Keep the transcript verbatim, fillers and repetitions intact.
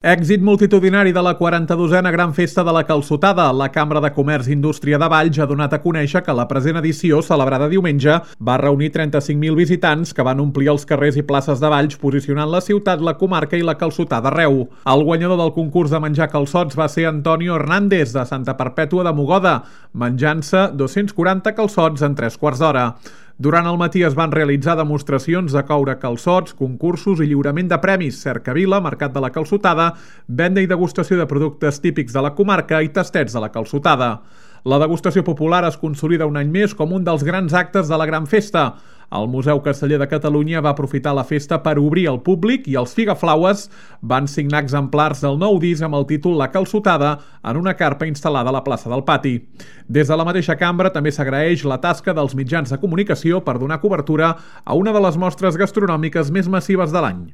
Èxit multitudinari de la quaranta-dosena Gran Festa de la Calçotada. La Cambra de Comerç i Indústria de Valls ha donat a conèixer que la present edició, celebrada diumenge, va reunir trenta-cinc mil visitants que van omplir els carrers i places de Valls, posicionant la ciutat, la comarca i la calçotada arreu. El guanyador del concurs de menjar calçots va ser Antonio Hernández, de Santa Perpètua de Mogoda, menjant-se dos-cents quaranta calçots en tres quarts d'hora. Durant el matí es van realitzar demostracions de coure calçots, concursos i lliurament de premis, cercavila, mercat de la calçotada, venda i degustació de productes típics de la comarca i tastets de la calçotada. La degustació popular es consolida un any més com un dels grans actes de la Gran Festa. El Museu Casteller de Catalunya va aprofitar la festa per obrir al públic i els Figaflaues van signar exemplars del nou disc amb el títol La Calçotada en una carpa instal·lada a la plaça del Pati. Des de la mateixa cambra també s'agraeix la tasca dels mitjans de comunicació per donar cobertura a una de les mostres gastronòmiques més massives de l'any.